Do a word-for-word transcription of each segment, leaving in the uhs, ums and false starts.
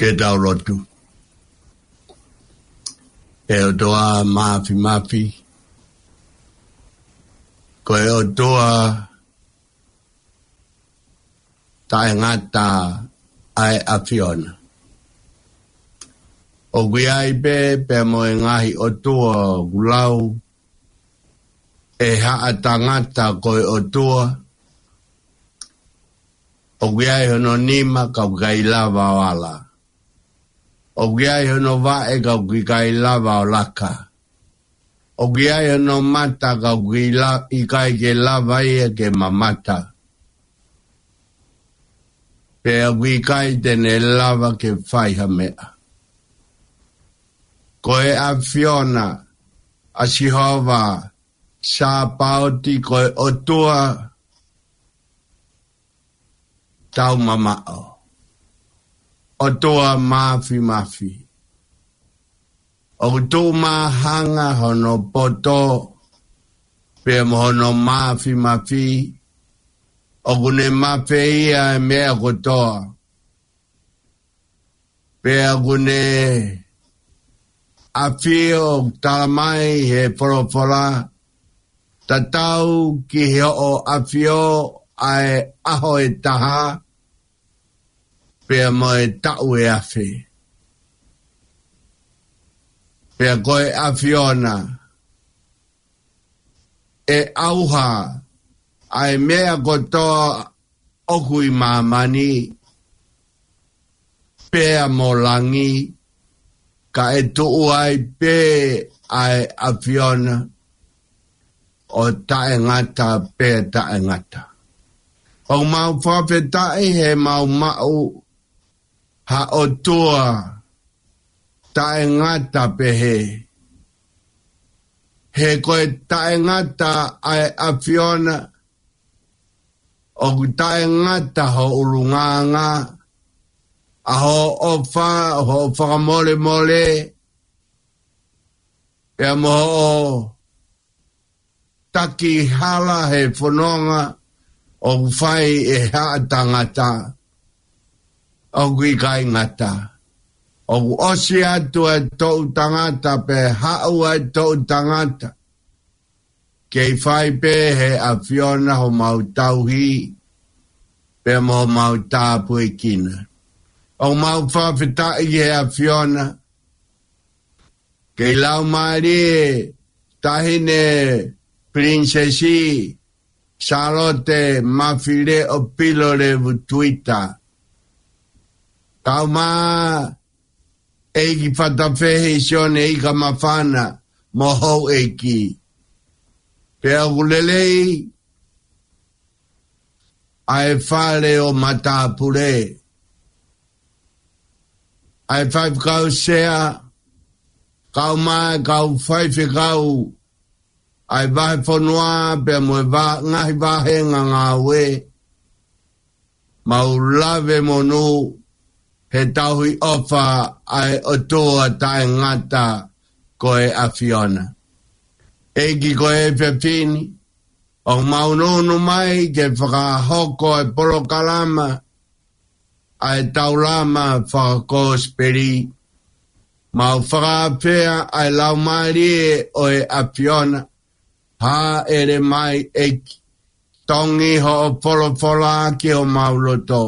Ke tau lotu. ʻE ʻOtua Māfimafi, ko e ʻOtua taʻengata ʻa e ʻAfiona. ʻOku ʻi ai pē pea mo e ngaahi ʻotua ʻoku lau ʻe haʻa tangata ko e ʻOtua. ʻOku ʻi ai hono nima ka ʻoku ʻikai lava ʻo ala. ʻOku ʻi ai hono vaʻe ka ʻoku ʻikai lava ʻo laka. ʻOku ʻi ai hono mata ka ʻoku ʻikai la-, ʻikai ke lava ia ke mamata. Pea ʻoku ʻikai te ne lava ke fai ha meʻa. Ko e ʻAfiona ʻa Sihova Sāpaoti, ko e ʻOtua taumamaʻo, ʻOtua Māfimafi. ʻOku tuʻumāhanga hono poto pea mo hono māfimafi. ʻOku ne mafeia e meʻa kotoa. Pea ʻoku ne ʻafio, ʻoku tala mai he folofola, tatau ki hoʻo ʻafio ʻa e ʻaho ʻe taha, pea mo e taʻu ʻe afe. Pea ko e ʻAfiona ʻe ʻauha ʻa e meʻa kotoa ʻoku ʻi māmani pea mo langi, ka ʻe tuʻu ai pē ʻa e ʻAfiona ʻo taʻengata pea taʻengata. ʻOku mau fakafetaʻi he mau maʻu ha ʻOtua taʻengata pehē. He ko e taʻengata ʻa e ʻAfiona, ʻoku taʻengata ho ʻulungaanga, ʻa hoʻo ʻofa, hoʻo fakamolemole, pea mo hoʻo taki hala he fononga ʻoku fai ʻe haʻa tangata. ʻOku ʻikai ngata, ʻoku ʻosi atu ʻa e toʻu tangata pea haʻu ʻa e toʻu tangata. Kei fai pē he ʻAfiona homau tauhi pea mo homau tāpuekina. ʻOku mau fakafetaʻi he ʻAfiona, kei Laumālie Taʻahine Pilinisesi Sālote Mafileʻo Pilolevu Tuita, kaeʻumaʻā ʻEiki Fatafehi Sione Ikamafana mo houʻeiki. Pea ʻoku lelei ʻa e fale ʻo matāpule, ʻa e faifekau sea, kaeʻumaʻā e kau faifekau ʻa e vahefonua pea mo e va-, ngaahi vāhenga ngāue. Mau lave monū he tauhi ʻofa ʻa e ʻOtua taʻengata ko e ʻAfiona. ʻEiki, ko e efiafi ni, ʻoku mau nofo mai ke fakahoko e polokalama ʻa e Taulama Fakakosipeli. Mau fakaafeʻi ʻa e Laumālie ʻo e ʻAfiona, hāʻele mai ʻEiki, tongi hoʻo folofola ki homau loto.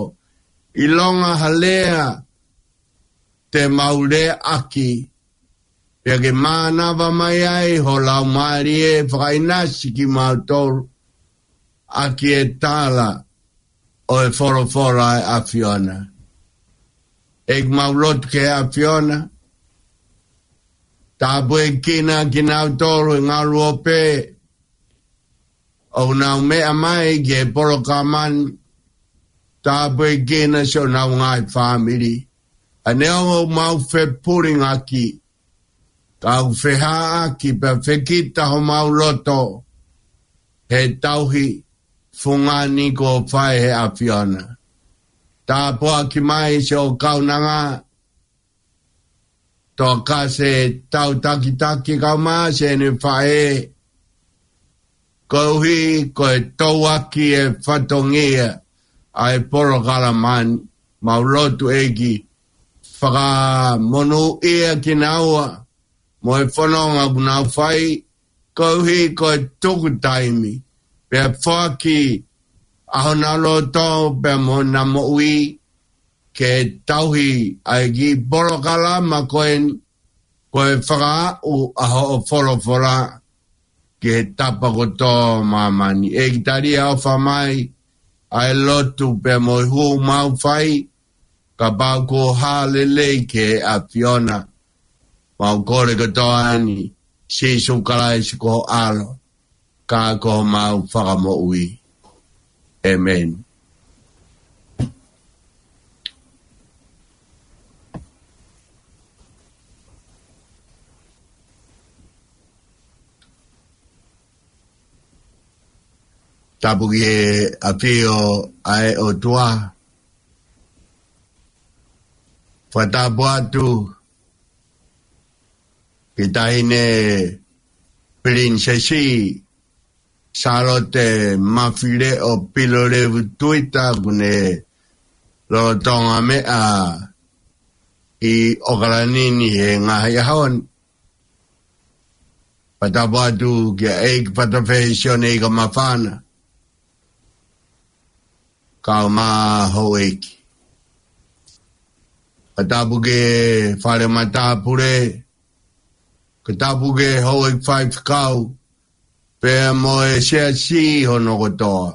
ʻIlonga ha lea te mau leaʻaki, pea ke mānava mai ai ho Laumālie fakaʻinasi kimautolu ʻaki e tala ʻo e folofola ʻa e ʻAfiona. ʻEiki, mau lotu ki he ʻAfiona, tāpuekina kinautolu he ngaluope ʻoku nau meʻa mai ki he polokalama ni, tāpuekina siʻonau ngaahi fāmili. ʻA ia ʻoku mau fepulingaki, kau fehāʻaki pea fekita homau loto he tauhi fungani kuo fai he ʻAfiona. Tāpuaki mai siʻo kaunanga, Tokase Tautakitaki kaeʻumaʻā siʻene faʻē, koeʻuhi ko e touaki e fatongia ʻa e polokalama ni. Mau lotu, ʻEiki, fakamonūʻia kinaua mo e fononga kuo nau fai, koeʻuhi ko e tuku taimi, pea foaki ʻa honau loto pea mo honau moʻui ke tauhi ʻa e kiʻi polokalama ko eni, ko e fakaaʻu ʻa hoʻo folofola ki he tapa kotoa ʻo māmani. ʻEiki, tali ʻofa mai ʻa e lotu pea mo e hū mau fai, kapau kuo hā lelei ki he ʻAfiona. Mau kole kotoa ni, Sīsū Kalaisi ko ho ʻAlo, ka ko homau Fakamoʻui. ʻĒmeni. Tapu ki he ʻafio ʻa e ʻOtua. Fakatapu atu ki he Taʻahine Pilinisesi Sālote Mafileʻo Pilolevu Tuita, kuo ne lolotonga meʻa ʻi ʻOkalani ni he ngaahi ʻaho ni. Fakatapu atu kia ʻEiki Fatafehi Sione Ikamafana, kau mo houʻeiki. Fakatapu ki he fale matāpule, fakatapu ki he houʻeiki faifekau, pea mo e siasi hono kotoa.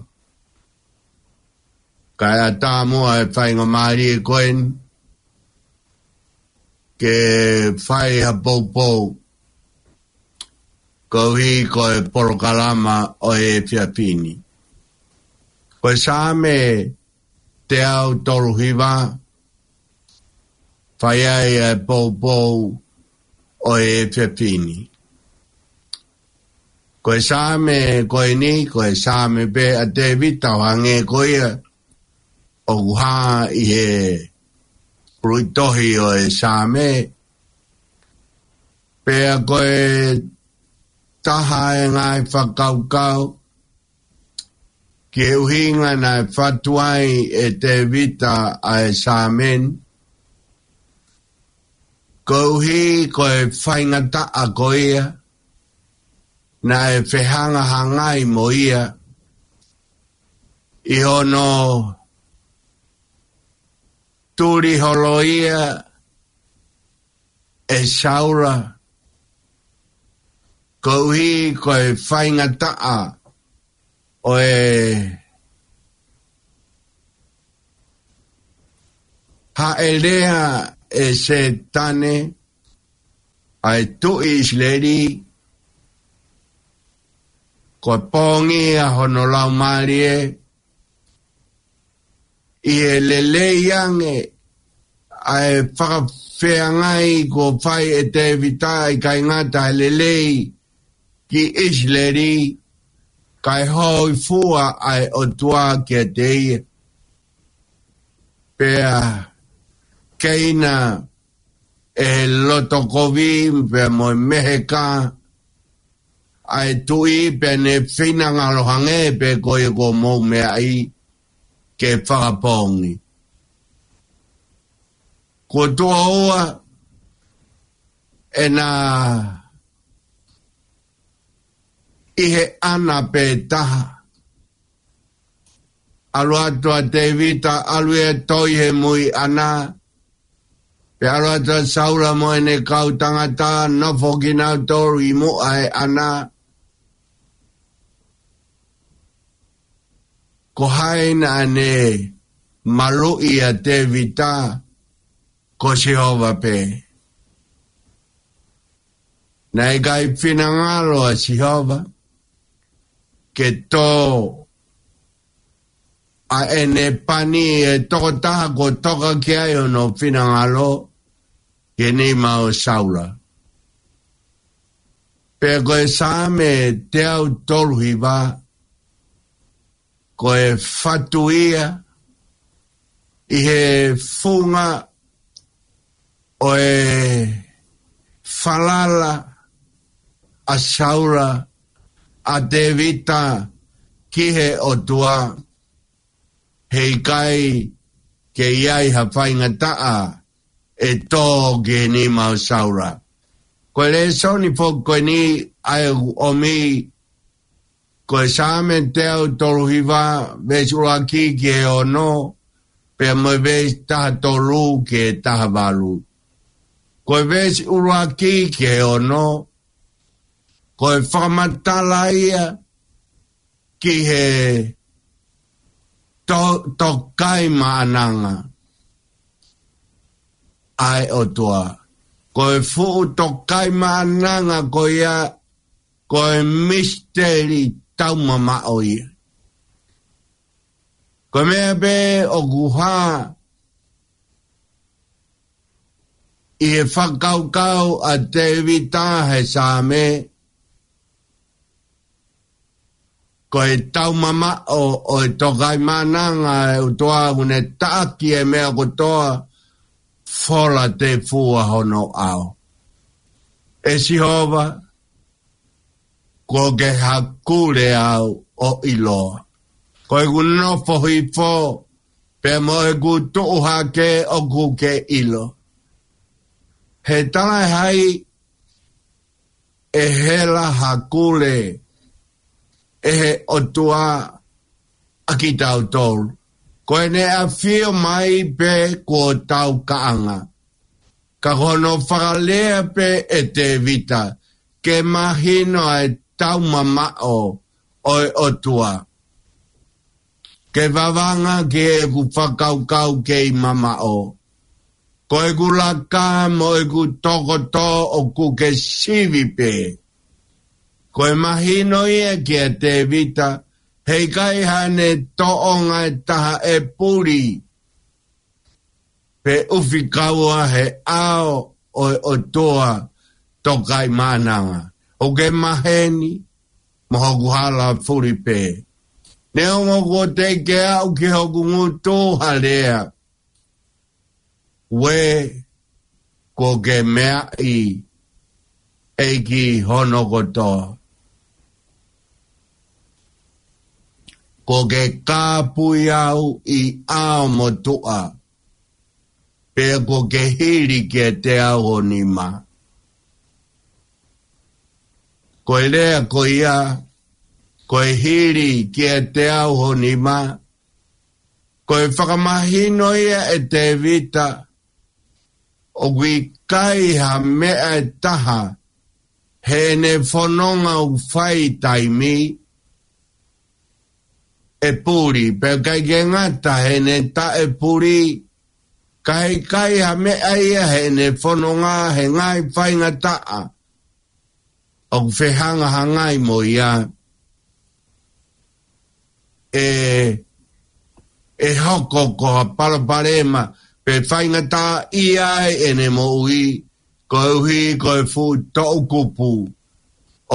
Kae ʻatā muʻa e faingamālie ko eni ke fai ha poupou koeʻuhi ko e polokalama ʻo e efiafi ni. Ko e Saame teau tolu hiva, fai ai e poupou ʻo e efiafi ni. Ko e Saame ko eni, ko e Saame pē ʻa Tēvita ʻo hangē ko ia ʻoku hā ʻi he puluʻi tohi ʻo e Saame. Pea ko e taha e ngaahi fakakaukau ki he ʻuhinga naʻe fatu ai ʻe Tēvita ʻa e Saame ni, koeʻuhi ko e faingataʻa ko ia naʻe fehangahangai mo ia ʻi hono tuli holo ia ʻe Saula, koeʻuhi ko e faingataʻa ʻo e haʻelea ʻe Sētane ʻa e tuʻi ʻIsileli, ko e pongia hono laumālie, ʻi he lelei ange ʻa e fakafeangai kuo fai ʻe Tēvita, ʻikai ngata he lelei ki ʻIsileli, kae hōifua ʻa e ʻOtua kiate ia. Pea keina ʻe he loto kovi pea mo e meheka ʻa e tuʻi, pea ne finangalo hangē pē ko ia kuo mou meaʻi ke fakapoongi. Kuo tuʻo ua ʻena ʻi he ʻana pē taha. ʻAlu atu ʻa Tēvita, ʻalu ia ʻo toi he mui ʻana, pea ʻalu atu ʻa Saula mo ʻene kau tangata, nofo kinautolu ʻi muʻa he ʻana. Ko hai naʻa ne maluʻi ʻa Tēvita? Ko Sihova pē. Naʻe ʻikai finangalo ʻa Sihova ke tō ʻa ʻene pani, e tokotaha kuo toka ki ai hono finangalo, ki he nima ʻo Saula. Pea ko e Saame teau tolu hiva, ko e fatu ia ʻi he funga ʻo e falala ʻa Saula, ʻa Tēvita ki he ʻOtua, heʻikai ke ʻi ai ha faingataʻa ʻe tō ki he nima ʻo Saula. Ko e lēsoni foki ko eni ʻa ē ʻoku ʻomi, ko e Saame teau tolu hiva, veesi ʻuluaki ki he ono, pea mo e veesi taha tolu ki he taha valu. Ko e veesi ʻuluaki ki he ono, ko e fakamatala ia ki he to-, tokaimaʻananga ʻa e ʻOtua. Ko e fuʻu tokaimaʻananga ko ia, ko e misiteli taumamaʻo ia. Ko e meʻa pē ʻoku hā ʻi he fakakaukau ʻa Tēvita he Saame, ko e taumamaʻo ʻo e tokaimaʻananga ʻa e ʻOtua ʻoku ne taʻaki e meʻa kotoa, fola tefua hono ʻao. ʻE Sihova, kuo ke hakule au ʻo ʻiloa. Ko ʻeku nofo hifo, pea mo ʻeku tuʻu hake ʻoku ke ʻilo. He talaʻehai ʻe hela hakule ʻe he ʻOtua ʻa kitautolu. Ko ʻene ʻafio mai pē kuo tau kaʻanga. Ka ko hono fakalea pē ʻe Tēvita, ke mahino ʻa e taumamaʻo ʻo e ʻOtua. Ke vavanga ki heʻeku fakakaukau kei mamaʻo. Ko ʻeku laka mo ʻeku tokoto ʻoku ke sivi pē. Ko e mahino ia kia Tēvita, heʻikai haʻane tōʻonga ʻe taha ʻe puli pe ʻufi kaua he ʻao ʻo e ʻOtua tokaimaʻananga. ʻOku ke maheni mo hoku hala fuli pē. Neongo kuo teʻeki ke aʻu ki hoku ngutu ha lea, ʻuē, kuo ke meaʻi ʻEiki hono kotoa. Kuo ke kāpui au ʻi ʻao motuʻa, pea kuo ke hili kiate au ho nima. Ko e lea ko ia, ko e hili kiate au ho nima, ko e fakamahino ia ʻe Tēvita, ʻoku ʻikai ha meʻa ʻe taha heʻene fononga ʻoku fai taimi ʻe puli, pea ʻikai ke ngata heʻene taʻepuli, ka heʻikai ha meʻa ia heʻene fononga he ngaahi faingataʻa ʻoku fehangahangai mo ia. ʻE, ʻe hoko ko ha palopalema pe faingataʻaʻia ai ʻene moʻui, koeʻuhi ko e fuʻu toʻukupu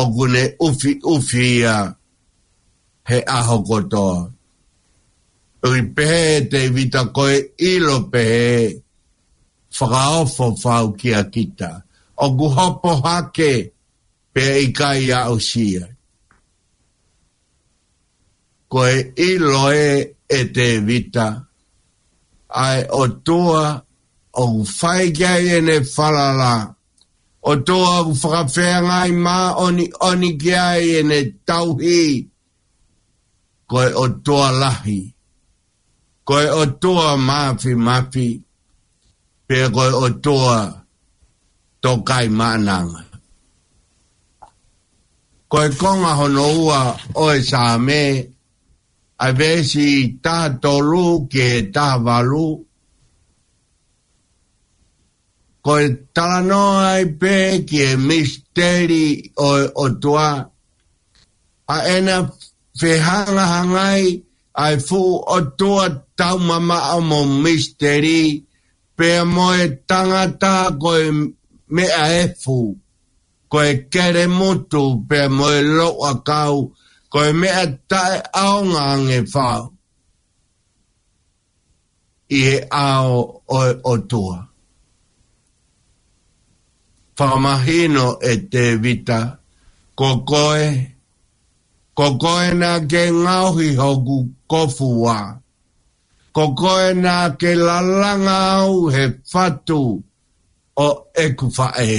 ʻoku ne ʻufiʻufi ia he ʻaho kotoa. ʻOku pehē ʻe Tēvita ko e ʻilo pehē, fakaofo fau kia kita. ʻOku hopo hake pea ʻikai aʻusia. Ko e ʻilo ē ʻe Tēvita, ʻa e ʻOtua ʻoku fai ki ai ʻene falala, ʻOtua ʻoku fakafeangai māʻoniʻoni ki ai ʻene tauhi, ko e ʻOtua lahi, ko e ʻOtua māfimafi, pea ko e ʻOtua tokaimaʻananga. Ko e konga hono ua ʻo e Saame, ʻa e veesi taha tolu ki he taha valu, ko e talanoa ai pē ki he misiteli ʻo e ʻOtua, ʻa ʻena fehangahangai ʻa e fuʻu ʻOtua taumamaʻo mo misiteli, pea mo e tangata ko e meʻa efu, ko e kelemutu, pea mo e louʻakau, ko e meʻa taʻeʻaonga ange fau ʻi he ʻao ʻo e ʻOtua. Fakamahino ʻe Tēvita, ko koe, ko koe naʻa ke ngaohi hoku kofua, ko koe naʻa ke lalanga au he fatu ʻo ʻeku faʻē.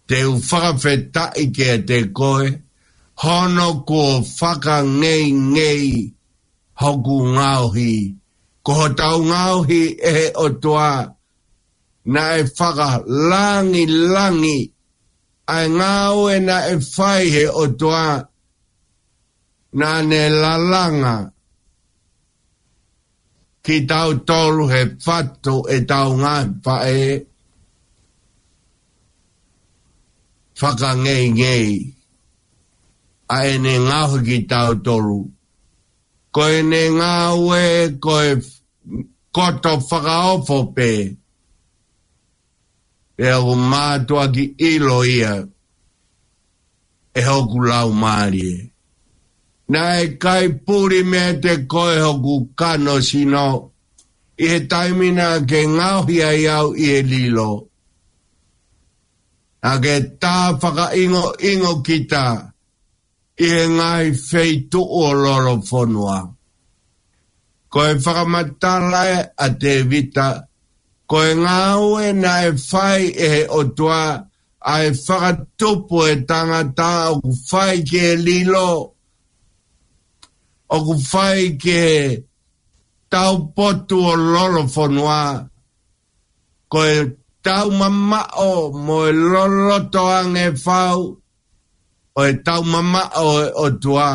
Te u fakafetaʻi kiate koe, hono kuo fakangeingei hoku ngaohi. Ko hotau ngaohi ʻe he ʻOtua, naʻe fakalangilangi ʻa e ngāue naʻe fai he ʻOtua, naʻa ne lalanga kitautolu he fatu ʻetau ngaahi faʻē, fakangeingei ʻa ʻene ngaohi kitautolu. Ko ʻene ngāue ko e koto fakaofo pē, pea ʻoku mātuʻaki ʻilo ia ʻe hoku laumālie. Naʻe ʻikai puli meiate koe hoku kano sino, ʻi he taimi naʻa ke ngaohi ai au ʻi he lilo. Naʻa ke tā fakaʻingoʻingo kita ʻi he ngaahi feituʻu ʻo Lolofonua. Ko e fakamatala ʻa Tēvita, ko e ngāue naʻe fai ʻe he ʻOtua, ʻa e fakatupu e tangata ʻoku fai ki he lilo, ʻoku fai ki he taupotu ʻo Lolofonua, ko e taumamaʻo mo e loloto ange fau ʻo e taumamaʻo ʻo e ʻOtua,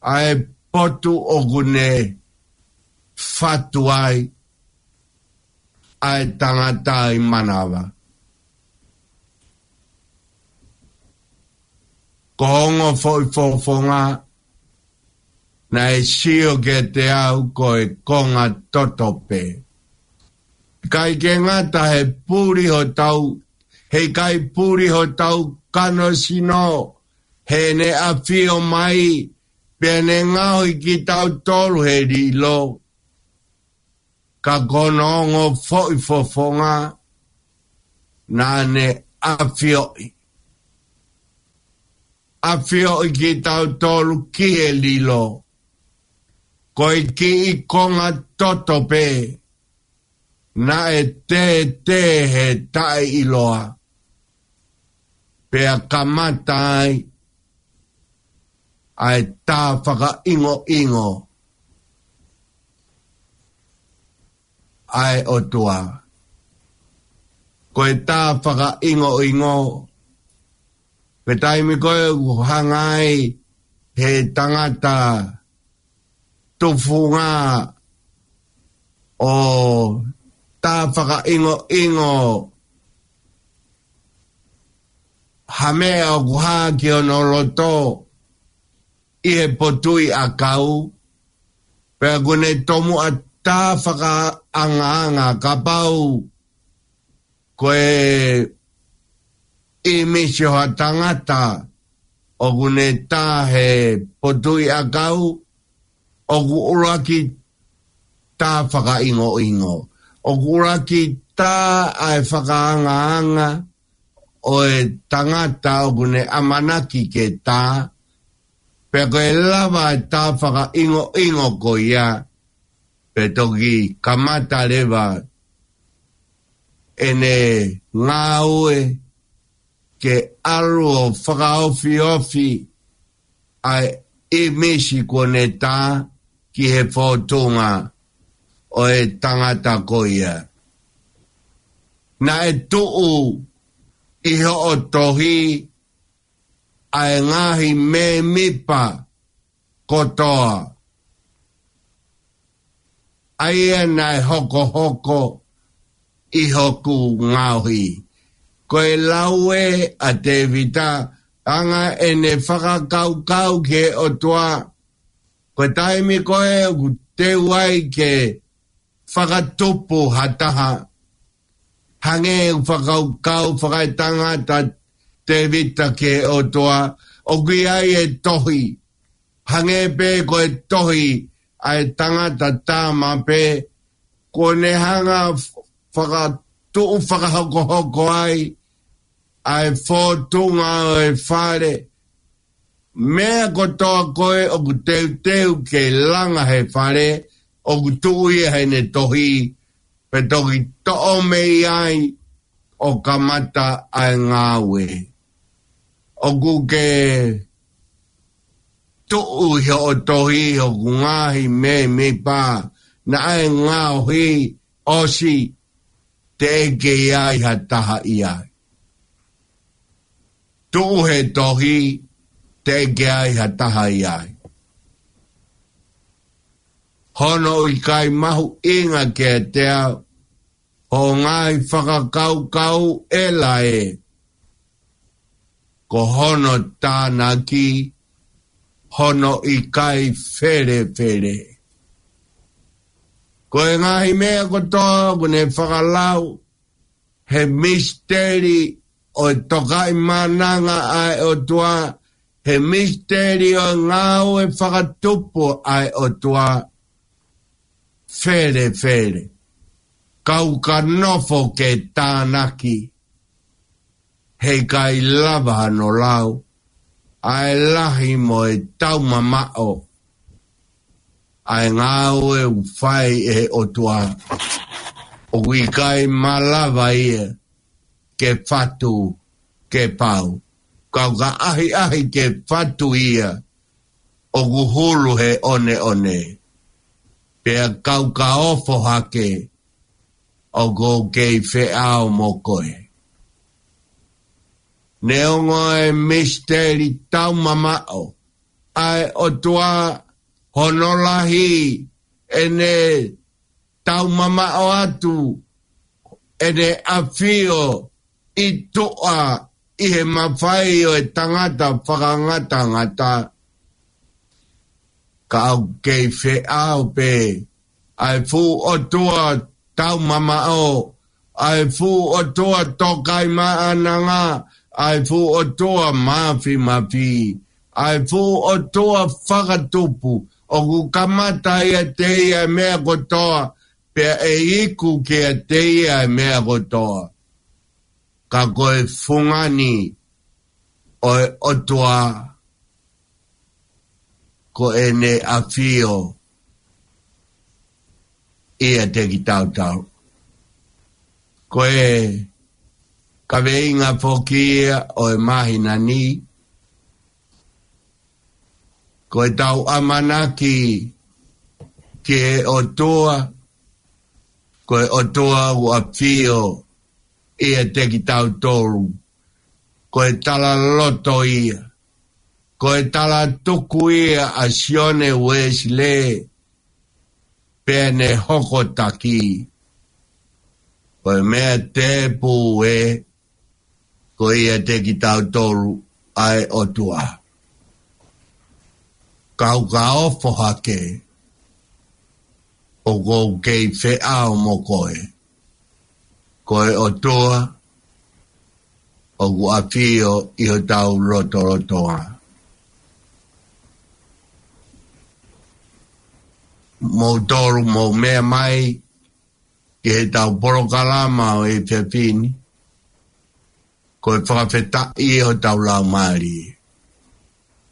ʻa e potu ʻoku ne fatu ai ʻa e tangata ʻi manava. Ko hono foʻi fofonga, naʻe sio kiate au ko e konga toto pē. ʻIkai ke ngata he puli hotau, he ʻikai puli hotau kano sino, he ne ʻafio mai, pea ne ngaohi kitautolu he lilo. Ka ko hono ongo foʻi fofonga, naʻa ne ʻafioʻi. ʻAfioʻi kitautolu ki he lilo. Ko e kiʻi konga toto pē, naʻe tētē he taʻeʻiloa. Pea kamata ai ʻa e tā fakaʻingoʻingo ʻa e ʻOtua. Ko e tā fakaʻingoʻingo, ko e taimi ko ē ʻoku hanga ai he tangata tufunga ʻo tā fakaʻingoʻingo ha meʻa ʻoku hā ki hono loto ʻi he potuʻi ʻakau, pea ʻoku ne tomuʻa tā fakaangaanga. Kapau ko e ʻīmisi ʻo ha tangata ʻoku ne tā he potuʻi ʻakau, ʻoku ʻuluaki tā fakaʻingoʻingo. ʻOku ʻuluaki tā ʻa e fakaangaanga ʻo e tangata ʻoku ne ʻamanaki ke tā, pea ko e lava e tā fakaʻingoʻingo ko ia, pea toki kamata leva ʻene ngāue ke ʻalu ʻo fakaofiofi ʻa e ʻīmisi kuo ne tā ki he fōtunga ʻo e tangata ko ia. Naʻe tuʻu ʻi hoʻo tohi ʻa e ngaahi mēmipa kotoa, ʻa ia naʻe hokohoko ʻi hoku ngaohi. Ko e lau ē ʻa Tēvita, anga ʻene fakakaukau ki he ʻOtua, ko e taimi ko ē ʻoku teu ai ke fakatupu ha taha, hangē ʻoku fakakaukau fakaetangata Tēvita ki he ʻOtua, ʻoku ʻi ai e tohi. Hangē pē ko e tohi ʻa e tangata tama pē, kuo ne hanga fakatuʻu fakahokohoko ai ʻa e fōtunga ʻo e fale. Meʻa kotoa ko ē ʻoku teuteu ke langa he fale, ʻoku tuʻu ia heʻene tohi, pe toki toʻo mei ai ʻo kamata ʻa e ngāue. ʻOku ke tuʻu ʻi hoʻo tohi ʻoku ngaahi mēmipa naʻe ngaohi ʻosi, teʻeki ai ha taha ʻi ai. Tuʻu he tohi, teʻeki ai ha taha ʻi ai. Hono ʻikai mahuʻinga kiate au hoʻo ngaahi fakakaukau ʻe lae, ko hono tānaki hono ʻikai felefele. Ko e ngaahi meʻa kotoa ʻoku ne fakalau he misiteli ʻo e Tokaimaʻananga ʻa e ʻOtua, he misiteli ʻo e ngāue fakatupu ʻa e ʻOtua, felefele. Kau ka nofo ke tānaki, heʻikai lava hano lau ʻa e lahi mo e taumamaʻo ʻa e ngāue ʻoku fai ʻe he ʻOtua. ʻOku ʻikai malava ia ke fatu ke pau. Kau ka ʻahiʻahi ke fatu ia, ʻoku hulu he ʻoneʻone. Pea kau ka ofo hake, ʻoku ou kei feʻao mo koe. Neongo e misiteli taumamaʻo ʻa e ʻOtua, hono lahi, ʻene taumamaʻo atu, ʻene ʻafio ʻi tuʻa ʻi he mafai ʻo e tangata fakangatangata. Ka ʻoku kei feʻao pē ʻa e fuʻu ʻOtua taumamaʻo, ʻa e fuʻu ʻOtua Tokaimaʻananga, ʻa e fuʻu ʻOtua Mafimafi, ʻa e fuʻu ʻOtua fakatupu, ʻoku kamata ʻiate ia e meʻa kotoa, pea ʻe iku kiate ia e meʻa kotoa. Ka ko e fungani ʻo e ʻOtua, ko ʻene ʻafio ʻiate kitautolu. Ko e kaveinga foki ia ʻo e māhina ni, ko ʻetau ʻamanaki ki he ʻOtua, ko e ʻOtua ʻoku ʻafio ʻiate kitautolu, ko e talaloto ia, ko e talatuku ia ʻa Sione Uēsilē, pea ne hokotaki. Ko e meʻa tēpū ē, ko ʻiate kitautolu ʻa e ʻOtua. Kau ka ofo hake, ʻoku ou kei feʻao mo koe. Ko e ʻOtua ʻoku ʻafio ʻi hotau lotolotonga. Moutolu mou meʻa mai ki heʻetau polokalama ʻo e efiafi ni, ko e fakafetaʻi ʻi hotau laumālie.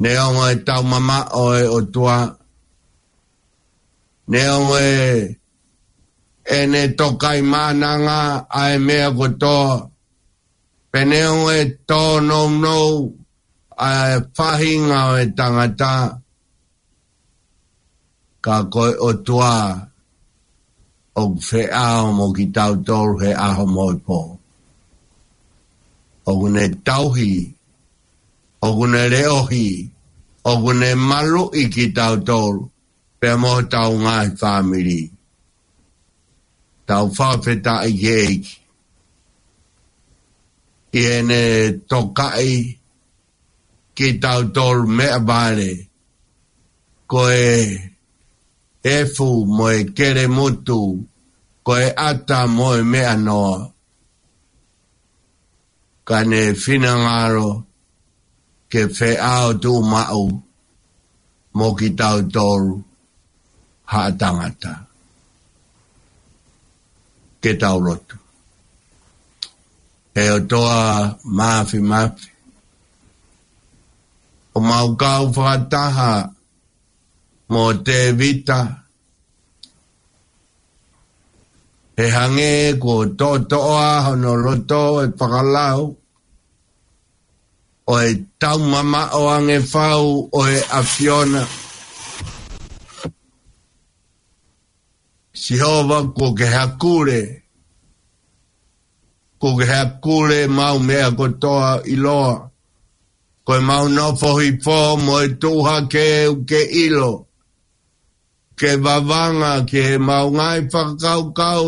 Neongo e taumamaʻo ʻo e ʻOtua, neongo e ʻene Tokaimaʻananga ʻa e meʻa kotoa, pea neongo e tōnounou ʻa e faʻahinga ʻo e tangata, ka ko e ʻOtua ʻoku feʻao mo kitautolu he ʻaho mo e pō. ʻOku ne tauhi, ʻoku ne leʻohi, ʻoku ne maluʻi kitautolu, pea mo hotau ngaahi fāmili. Tau fakafetaʻi ki he ʻEiki ʻi heʻene tokaʻi kitautolu meʻavale, ko e efu mo e kelemutu, ko e ʻata mo e meʻanoa. Ka ne finangalo ke feʻao tuʻumaʻu mo kitautolu haʻa tangata. Ke tau lotu. ʻE ʻOtua Mafimafi, ʻoku mau kau fakataha mo Tēvita, He hangē kuo toʻotoʻoa hono loto ʻe fakalau, ʻo e taumamaʻo ange fau ʻo e ʻAfiona. Sihova, kuo ke hakule, kuo ke hakule ʻemau meʻa kotoa ʻiloa. Ko ʻemau nofo hifo mo e tuʻu hake ʻoku ke ʻilo. Ke vavanga ki heʻemau ngaahi fakakaukau,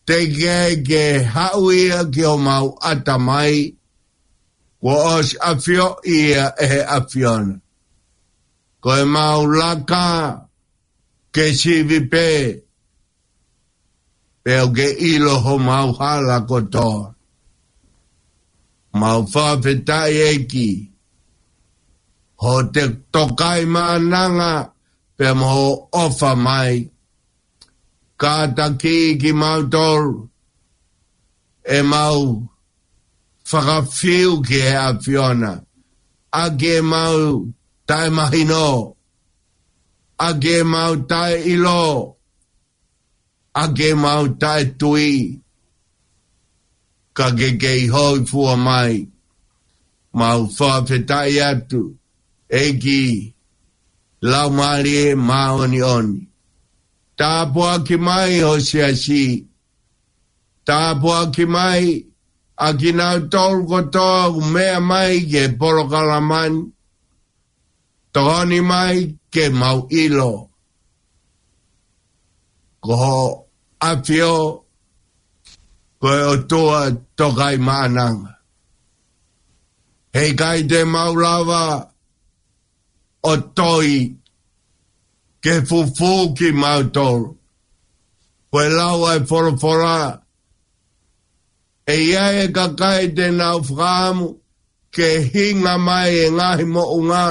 teʻeki ai ke haʻu ia ki homau ʻatamai, kuo ʻosi ʻafioʻi ia ʻe he ʻAfiona. Ko ʻemau laka ke sivi pē, pea ʻoku ke ʻilo homau hala kotoa. Mau fakafetaʻi ʻEiki, hoʻo tokaimaʻananga pea mo hoʻo ʻofa mai. Kātaki kimautolu ʻemau fakafiu ki he ʻAfiona, ʻaki ʻemau taʻemahino, ʻaki ʻemau taʻeʻilo, ʻaki ʻemau taʻetui, ka ke kei hōifua mai. Mau fakafetaʻi atu, ʻEiki Laumālie Māʻoniʻoni. Tāpuaki mai ho siasi, tāpuaki mai ʻa kinautolu kotoa ʻoku meʻa mai ki he polokalama ni. Tokoni mai ke mau ʻilo ko hoʻo ʻAfio ko e ʻOtua tokaimaʻananga. Heʻikai te mau lava ʻo toi ke fufū kimautolu. Ko e lau ʻa e folofola, ʻe ʻi ai e kakai te nau fakaʻamu ke hinga mai e ngaahi moʻunga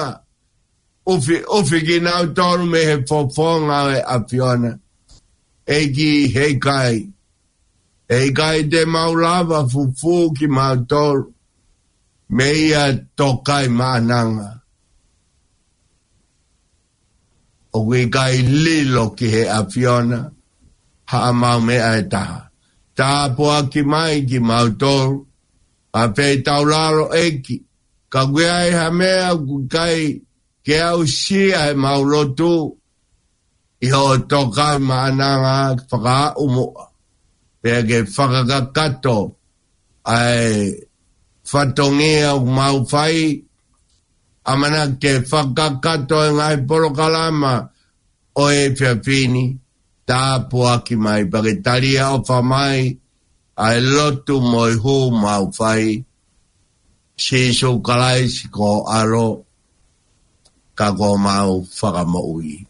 ʻufiʻufi kinautolu mei he fofonga ʻo e ʻAfiona. ʻEiki, heʻikai, heʻikai te mau lava fufū kimautolu mei he tokaimaʻananga. ʻOku ʻikai lilo ki he ʻAfiona haʻamau meʻa ʻe taha. Tāpuaki mai kimautolu, ʻa e feitaulalo ʻEiki, ka ʻoku ʻi ai ha meʻa ʻoku ʻikai ke aʻusia ʻemau lotu, ʻi hoʻo tokaimaʻananga ke fakaaʻu muʻa, pea ke fakakakato ʻa e fatongia ʻoku mau fai, ʻamanaki ke fakakakato e ngaahi polokalama ʻo e efiafi ni. Tāpuaki mai pea ke tali ʻofa mai ʻa e lotu mo e hū mau fai. Sīsū Kalaisi ko ho ʻAlo, ka ko homau Fakamoʻui.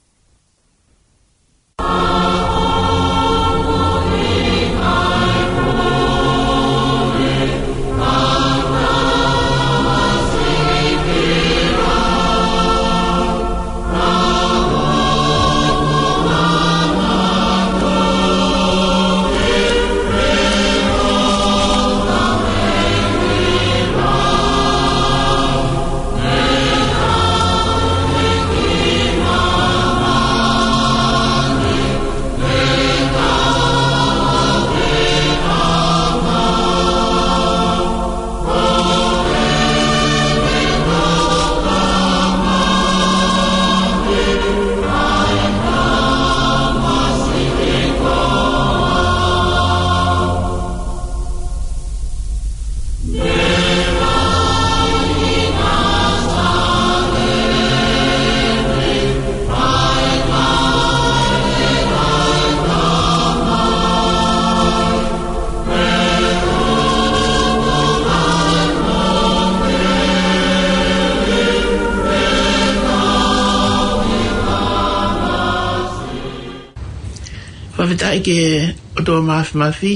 Fakafetaʻi ki he ʻOtua Māfimafi,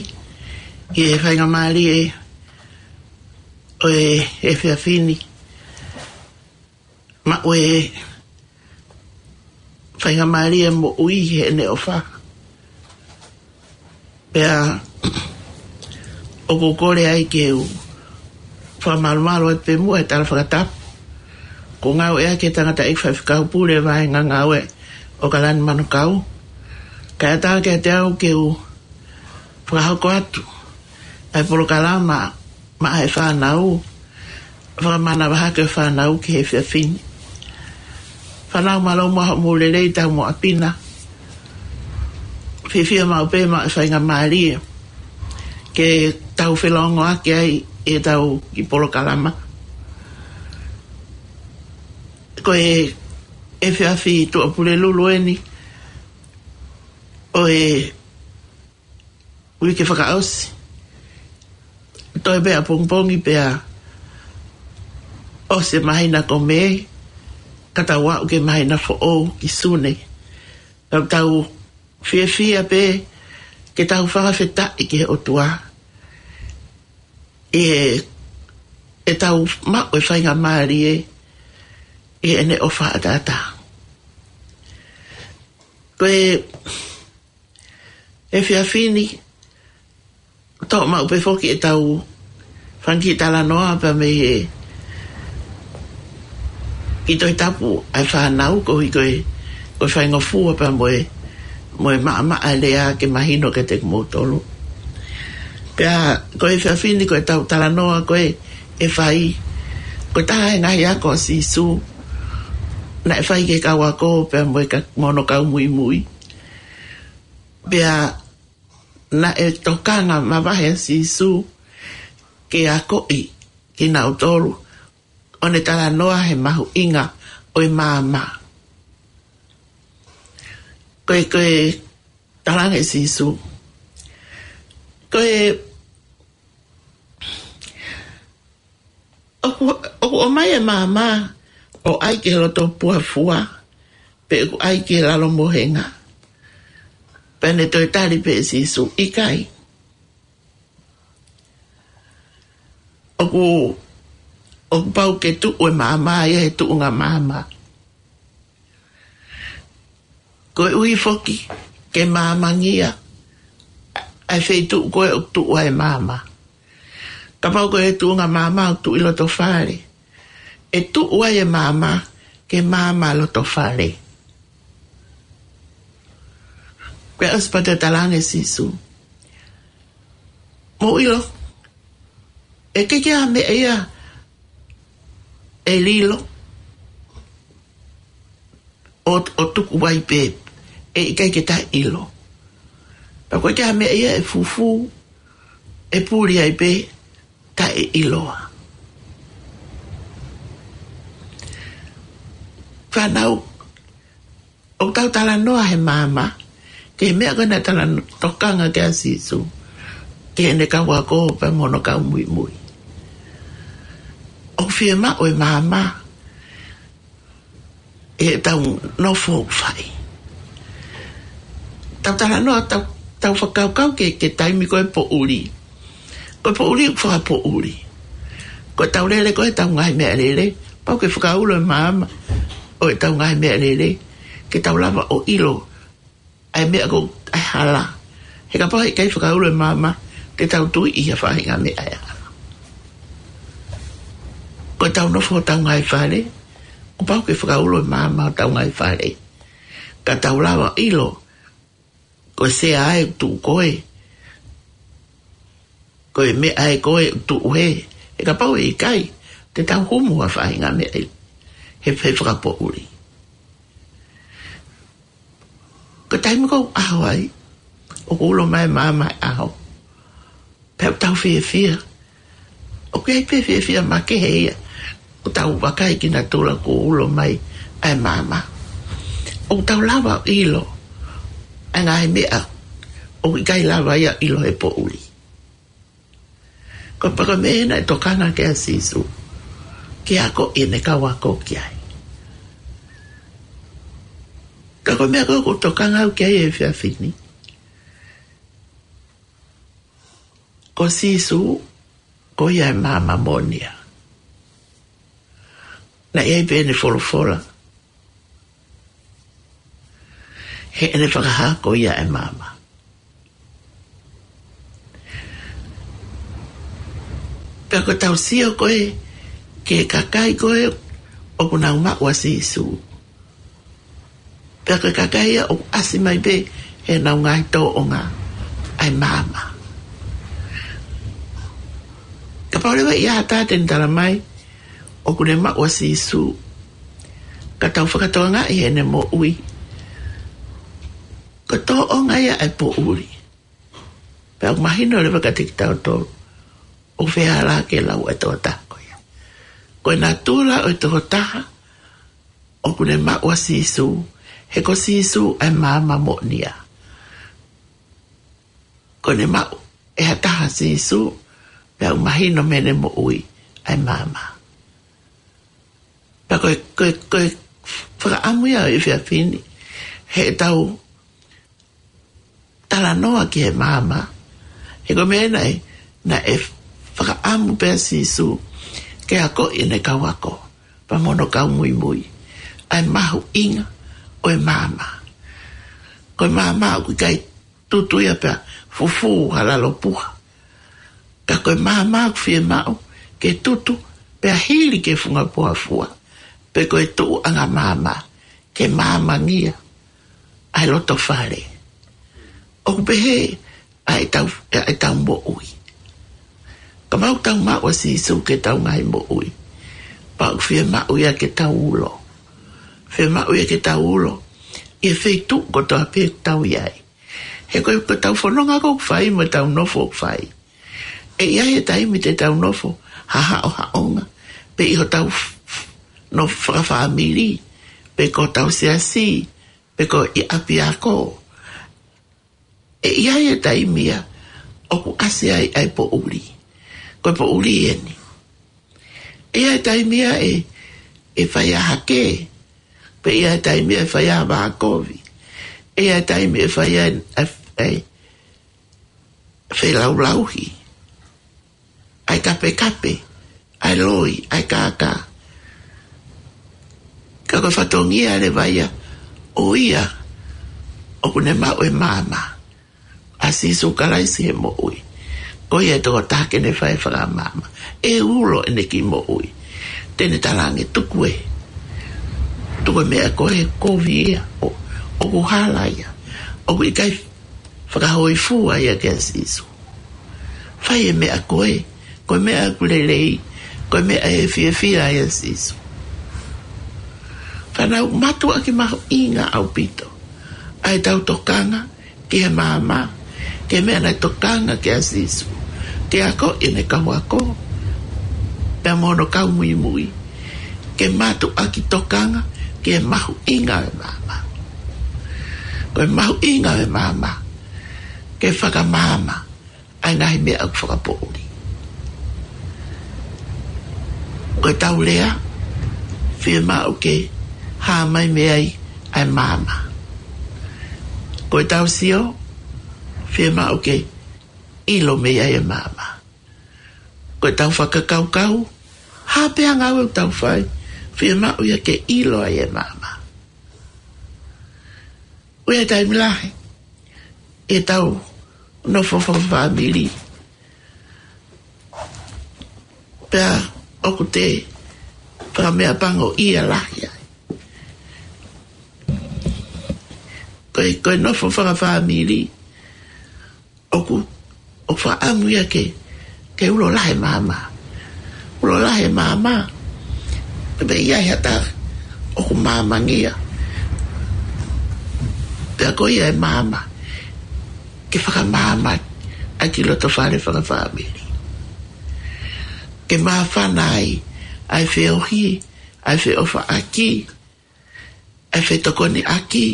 ki he faingamālie ʻo e efiafi ni. Maʻu e faingamālie moʻui heʻene ʻofa. Pea ʻoku ou kole ai ke u fakamalumalu atu pē muʻa he tala fakatapu. Ko e ngāueʻaki ʻe he tangataʻeiki faifekau pule vaʻinga ngāue ʻo Kalani Manukau. Kae ʻatā kiate au ke u Fakahoko atu ʻa e polokalama maʻa e fānau, fakamanavahē ʻa e fānau ki he efiafi ni. Fānau, mālō muʻa hoʻomou lelei, tau mo ʻapi na. Fiefia maʻu pē maʻa e faingamālie ke tau felōngoaki ai ʻi heʻetau kiʻi polokalama. Ko e efiafi Tuʻapulelulu eni ʻo e uike fakaʻosi. Toe pē ʻapongipongi pea ʻosi e māhina ko Mē, ka tau aʻu ki he māhina foʻou ki Sune. Tau, tau fiefia pē ke tau fakafetaʻi ki he ʻOtua ʻi he, ʻetau maʻu e faingamālie ʻi heʻene ʻofa ʻataʻatā. Ko e efiafi ni, toʻo maʻu pē foki ʻetau fanga kiʻi talanoa pea mei he kiʻi Tohi Tapu ʻa e fānau, koeʻuhi ko e, ko e faingofua pea mo e, mo e maʻamaʻa e lea ke mahino kiate kimoutolu. Pea ko e efiafi ni ko ʻetau talanoa ko ē ʻe fai, ko e taha e ngaahi ako ʻa Sīsū naʻe fai ki he kau ako pea mo e ka-, mo hono kau muimui. Pea naʻe tokanga mavahe ʻa Sīsū ke akoʻi kinautolu ʻo ne talanoa he mahuʻinga ʻo e maama. Ko e, ko e talaange ʻe Sīsū, ko e ʻoku, ʻoku ʻomai e maama ʻo ʻai ki he loto puha fua, pe ʻoku ʻai ki he lalo mohenga? Pea ne toe tali pē ʻe Sīsū, ʻikai. ʻOku, ʻoku pau ke tuʻu e maama ia he tuʻunga maama. Koeʻuhi foki ke maamangia ʻa e feituʻu ko ē ʻoku tuʻu ai e maama. Kapau ko e tuʻunga maama ʻoku tuʻu ʻi loto fale, ʻe tuʻu ai e maama ke maama loto fale. Pea ʻosi pea toe talaange ʻe Sīsū, mou ʻilo, ʻe ʻikai ke ʻi ai ha meʻa ia ʻe lilo ʻo, ʻo tuku ai pē ʻe ʻikai ke taʻeʻilo. Pea ʻoku ʻikai ke ʻi ai ha meʻa ia ʻe fufū, ʻe puli ai pē taʻeʻiloa. Fānau, ʻoku tau talanoa he maama ki he meʻa ko ē naʻe talano-, tokanga ki ai ʻa Sīsū ki heʻene kau ako pea mo hono kau muimui. ʻOku fiemaʻu e maama ʻi heʻetau nofo ʻoku fai. Tau talanoa, tau, tau fakakaukau ki he, ki he taimi ko e poʻuli. Ko e poʻuli ʻoku fakapoʻuli. Ko ʻetau lele ko ē ʻetau ngaahi meʻalele, pau ke fakaulo e maama ʻo ʻetau ngaahi meʻalele ke tau lava ʻo ʻilo ʻa e meʻa ko ē ʻa e hala. He kapau he ʻikai fakaulo e maama, te tau tui ʻi ha faʻahinga meʻa ʻe hala. Ko ʻetau nofo hotau ngaahi fale, kuo pau ke fakaulo e maama hotau ngaahi fale ka tau lava ʻilo ko e sea ē ʻoku tuʻu ko ē, ko e meʻa ē ko ē ʻoku tuʻu hē. He kapau he ʻikai, te tau humu ha faʻahinga meʻa ʻi he, he fakapoʻuli. Ko e taimi ko ē ʻoku ʻaho ai, ʻoku ulo mai e maama he ʻaho, pea ʻoku tau fiefia. ʻOku ʻi ai pē fiefia makehe ia ʻoku tau vakai ki natula kuo ulo mai ʻa e maama. ʻOku tau lava ʻilo ʻa e ngaahi meʻa ʻoku ʻikai lava ia ʻilo he poʻuli. Ko e paka meʻa naʻe tokanga ki ai ʻa Sīsū ke akoʻi ʻene kau ako ki ai. Ka ko e meʻa ko ē ʻoku tokanga au ki ai he efiafi ni, ko Sīsū, ko ia e maama moʻoni ia. Naʻe ʻi ai pē ʻene folofola heʻene fakahā ko ia e maama. Pea ko ʻetau sio ko ē ki he kakai ko ē ʻoku nau maʻu ʻa Sīsū, pea ko e kakai ia ʻoku ʻasi mai pē heʻenau ngaahi tōʻonga ʻa e maama. Kapau leva ʻe ʻi ai ha taha te ne tala mai ʻoku ne maʻu ʻa Sīsū, ka tau fakatokangaʻi heʻene moʻui, ko e tōʻonga ia ʻa e poʻuli. Pea ʻoku mahino leva kiate kitautolu ʻoku fehālaaki e lau ʻa e tokotaha ko ia. Ko e natula ʻo e tokotaha ʻoku ne maʻu ʻa Sīsū, he ko Sīsū ʻa e maama moʻonia. Ko ʻene maʻu ʻe ha taha ʻa Sīsū, pea ʻoku mahino mei heʻene moʻui ʻa e maama. Pea ko e, ko e, ko e fakaʻamu ia ʻo e efiafi ni, heʻetau talanoa ki he maama. He ko e meʻa naʻe, naʻe fakaʻamu pē ʻa Sīsū ke akoʻi ʻene kau ako pea mo hono kau muimui ʻa e mahuʻinga ʻo e maama. Ko e maama ʻoku ʻikai tutu ia pea fufū ha lalo puha. Ka ko e maama ʻoku fiemaʻu ke tutu pea hili ki he funga poa fua, pe ko e tuʻuʻanga maama, ke maamangia ʻa e loto fale. ʻOku pehē ʻa ʻetau, ʻa ʻetau moʻui. Kapau ʻoku tau maʻu ʻa Sīsū ke tau ngaahi moʻui, pea ʻoku fiemaʻu ia ke tau ulo. Fiemaʻu ia ke tau ulo ʻi he feituʻu kotoa pē ʻoku tau ʻi ai. He ko e, ko ʻetau fononga ʻoku fai mo ʻetau nofo ʻoku fai, ʻe ʻi ai e taimi te tau nofo haʻohaʻonga, pe ʻi hotau f-, f-, nofo fakafāmili, pe ko hotau siasi, pe ko e ʻapiako. ʻE ʻi ai e taimi ia ʻoku ʻasi ai ʻa e poʻuli. Ko e poʻuli eni. ʻE ʻi ai e taimi ia ʻe, ʻe fai ai ha kē. Pea ʻi ai e taimi ia ʻe fai ai ha vākovi. ʻE ʻi ai e taimi ʻe fai ai ʻa e, ʻa e felaulauhi, ʻa e kapekape, ʻa e loi, ʻa e kākā. Ka ko e fatongia leva ia ʻo ia ʻoku ne maʻu e maama ʻa Sīsū Kalaisi he moʻui, ko ia e tokotaha ke ne fai e fakamaama. ʻE ulo ʻene kiʻi moʻui. Te ne talaange, tuku ē. Tuku e meʻa ko ē, kovi ia. ʻO, ʻoku hala ia. ʻOku ʻikai fakahōifua ia kia Sīsū. Fai e meʻa ko ē, ko e meʻa ʻoku lelei, ko e meʻa ʻe fiefia ai ʻa Sīsū. Fānau, mātuʻaki mahuʻinga ʻaupito ʻa ʻetau tokanga ki he maama, ki he meʻa naʻe tokanga ki ai ʻa Sīsū ke akoʻi ʻene kau ako pea mo hono kau muimui. Ke mātuʻaki tokanga ki he mahuʻinga ʻo e maama. Ko e mahuʻinga ʻo e maama, ke fakamaama ʻa e ngaahi meʻa ʻoku fakapoʻuli. Ko ʻetau lea, fiemaʻu ke hā mai mei ai ʻa e maama. Ko ʻetau sio, fiemaʻu ke ʻilo mei ai e maama. Ko ʻetau fakakaukau, ha pē ha ngāue ʻoku tau fai, fiemaʻu ia ke ʻilo ai e maama. ʻOku ʻi ai e taimi lahi ʻetau nofo fakafāmili, pea ʻoku te fakameʻapangoʻia lahi ai. Ko e, ko e nofo fakafāmili, ʻoku, ʻoku fakaʻamu ia ke, ke ulo lahi e maama. Ulo lahi e maama. Pea ʻi ai ha taha ʻoku maamangia, pea ko ia e maama ke fakamaama ʻa e kiʻi loto fale fakafāmili. Ke māfana ai ʻa e feohi, ʻa e feʻofaʻaki, ʻa e fetokoniʻaki.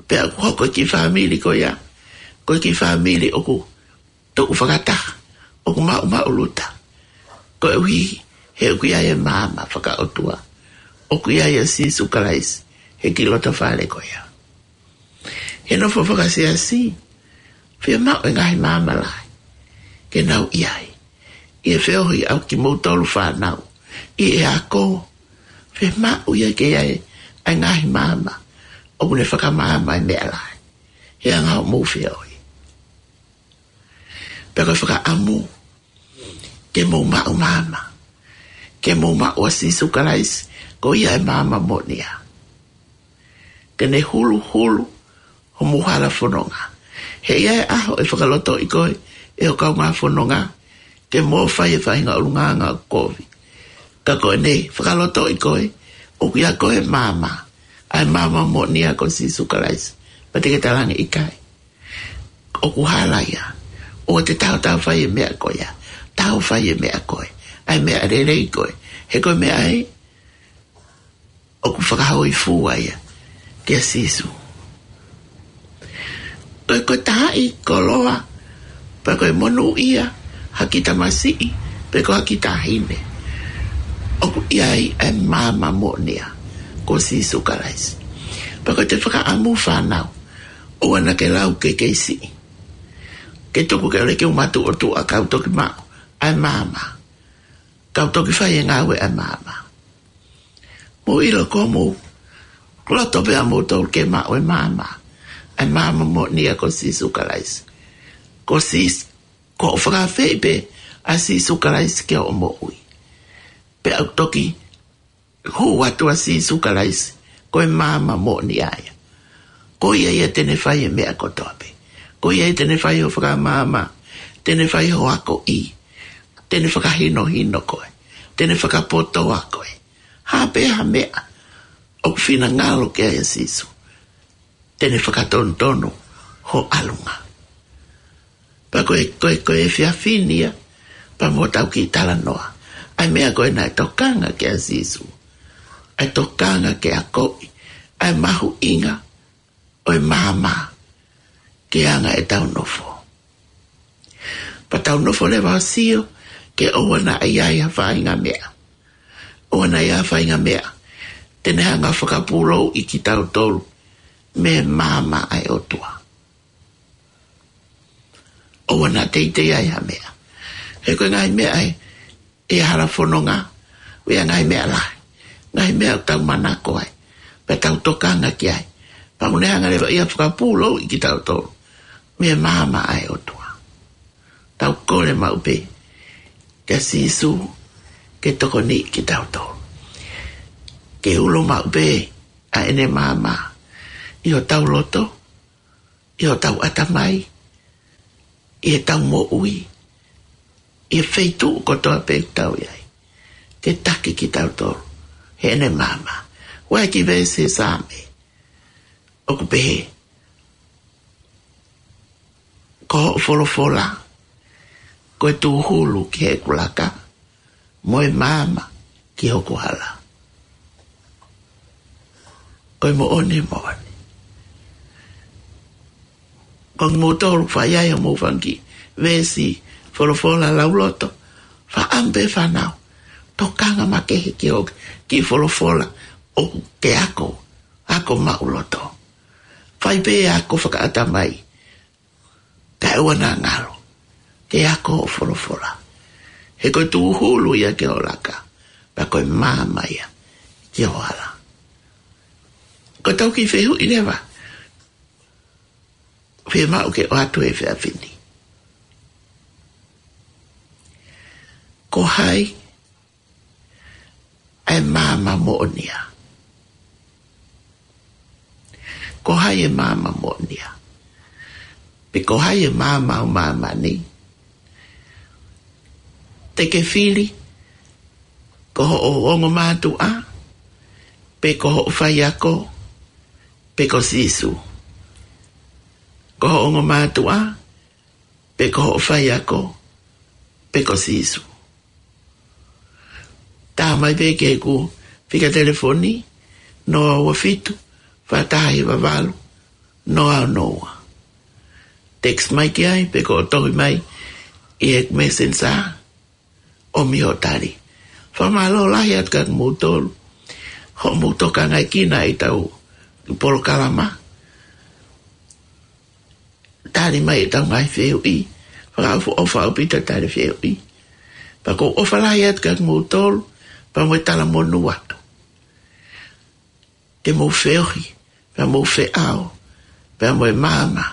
Pea ʻoku hoko e kiʻi fāmili ko ia ko e kiʻi fāmili ʻoku tuʻu fakataha, ʻoku maʻumaʻuluta. Koeʻuhi he ʻoku ʻi ai e maama fakaʻotua. ʻOku ʻi ai ʻa Sīsū Kalaisi he kiʻi loto fale ko ia. He nofo fakasiasi, fiemaʻu e ngaahi maama lahi ke nau ʻi ai. ʻI he feohi ʻa kimoutolu fānau, ʻi he ako, fiemaʻu ia ke ʻi ai ʻa e ngaahi maama ʻoku ne fakamaama e meʻa lahi he anga hoʻomou feohi. Pea ko e fakaʻamu ke mou maʻu maama, ke mou maʻu ʻa Sīsū Kalaisi, ko ia e maama moʻonia. Ke ne huluhulu homou hala fononga, He ʻe ʻi ai e ʻaho ʻe fakalotoʻi koe ʻe ho kaungā fononga ke mou fai e faʻahinga ʻulungaanga ʻoku kovi. Ka ko ʻene fakalotoʻi koe, ʻoku ʻia koe e maama, ʻa e maama moʻonia ko Sīsū Kalaisi. Pea te ke talaange ʻikai, ʻoku hala ia. ʻOua te tau tau fai e meʻa ko ia. Tau fai e meʻa ko ē, ʻa e meʻa lelei ko ē. He ko e meʻa ē ʻoku fakahōifua ia kia Sīsū. Ko e, ko e taha ʻi koloa, pe ko e monūʻia ha kiʻi tamasiʻi, pe ko ha kiʻi taʻahine, ʻoku ʻi ai e maama moʻonia ko Sīsū Kalaisi. Pea ko ʻete fakaʻamu fānau, ʻoua naʻa ke lau ke kei siʻi, ke tuku ke ʻoua ke u matuʻotuʻa kau toki maʻu ʻa e maama, kau toki fai e ngāue ʻa e maama. Mou ʻilo ko mou loto pē ʻa moutolu ke maʻu e maama, ʻa e maama moʻonia ko Sīsū Kalaisi. Ko Sīsū, ko hoʻo fakaafeʻi pē ʻa Sīsū Kalaisi ki hoʻo moʻui, pea ʻoku toki hū atu ʻa Sīsū Kalaisi ko e maama moʻonia ia. Ko ia ia te ne fai e meʻa kotoa pē. Ko ia ia te ne fai hoʻo fakamaama, te ne fai hoʻo akoʻi, te ne fakahinohino koe, te ne fakapotoa koe. Ha pē ha meʻa ʻoku finangalo ki ai ʻa Sīsū, te ne fakatonutonu ho ʻalunga. Pea ko e, ko e, ko e efiafi ni ia, pea mo ʻetau kiʻi talanoa, ʻa e meʻa ko ē naʻe tokanga ki ai ʻa Sīsū, ʻa e tokanga ke akoʻi ʻa e mahuʻinga ʻo e maama ki he anga ʻetau nofo. Pea tau nofo leva ʻo sio ke ʻoua naʻa ʻi ai ha faʻahinga meʻa, ʻoua naʻa ʻi ai ha faʻahinga meʻa te ne hanga ʻo fakapūlouʻi kitautolu mei he maama ʻa e ʻOtua. ʻOua naʻa teitei ai ha meʻa. He ko e ngaahi meʻa ē, ʻi he hala fononga, ʻoku ʻi ai e ngaahi meʻa lahi, ngaahi meʻa ʻoku tau manako ai, pea tau tokanga ki ai, pea ʻoku ne hanga leva ia ʻo fakapūlouʻi kitautolu mei he maama ʻa e ʻOtua. Tau kole maʻu pē kia Sīsū ke tokoniʻi kitautolu, ke ulo maʻu pē ʻa ʻene maama ʻi hotau loto, ʻi hotau ʻatamai, ʻi heʻetau moʻui, ʻi he feituʻu kotoa pē ʻoku tau ʻi ai, ke taki kitautolu heʻene maama. ʻOku ʻi ai e kiʻi veesi he Saame ʻoku pehē, ko hoʻo folofola ko e tūhulu ki heʻeku laka, mo e maama ki hoku hala. Ko e moʻoni, moʻoni. Ko kimoutolu ʻoku fai ai hoʻomou fanga kiʻi veesi folofola lauloto, fakaʻamu pē fānau, tokanga makehe ki hoʻo kiʻi folofola ʻoku ke ako, ako maʻuloto. Fai pē ako fakaʻatamai, kae ʻoua naʻa ngalo ke ako hoʻo folofola. He ko e tūhulu ia ki ho laka, pea ko e maama ia ki ho hala. Ko ʻetau kiʻi fehuʻi leva, fiemaʻu ke ʻoatu he efiafi ni. Ko hai ʻa e maama moʻonia? Ko hai e maama moʻonia? Pe ko hai e maama ʻo māmani? Te ke fili, ko hoʻo ongo mātuʻa, pe ko hoʻo faiako, pe ko Sīsū. Ko hoʻo ongo mātuʻa, pe ko hoʻo faiako, pe ko Sīsū. Tā mai pē ki heʻeku fika telefoni, noa ua fitu, fā taha hiva valu, noa ono ua. Text mai ki ai, pe ko hoʻo tohi mai ʻi he Messenger, ʻomi hoʻo tali. Fakamālō lahi atu kia kimoutolu hoʻomou tokangaekina ʻetau polokalama. Tali mai ʻetau ngaahi fehuʻi. Fakaʻofoʻofa ʻaupito e tali fehuʻi. Pea ʻoku ou ʻofa lahi atu kia kimoutolu, pea mo e talamonū atu. Ke mou feohi, pea mou feʻao, pea mo e maama,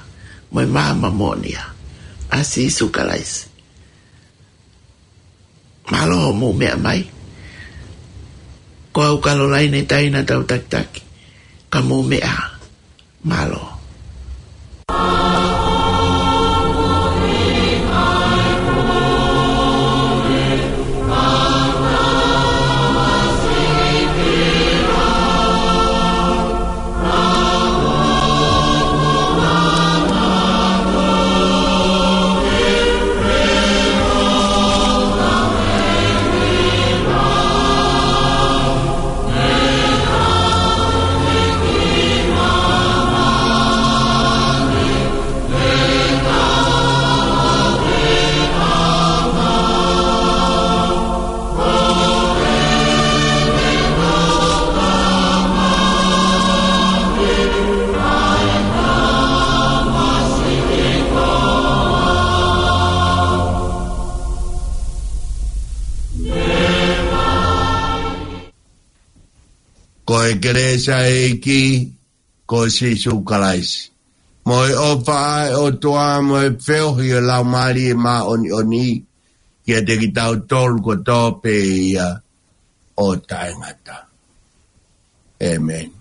mo e maama moʻonia ʻa Sīsū Kalaisi. Mālō hoʻomou meʻa mai. Ko au Kalolaine Taina Tautakitaki, ka mou meʻa ā. Mālō. Ko e kelesi ʻa e ʻEiki, ko Sīsū Kalaisi, mo e ʻofa ʻa e ʻOtua, mo e feohi ʻo e Laumālie Māʻoniʻoni, kiate kitautolu kotoa pē ia ʻo taʻengata. ʻĒmeni.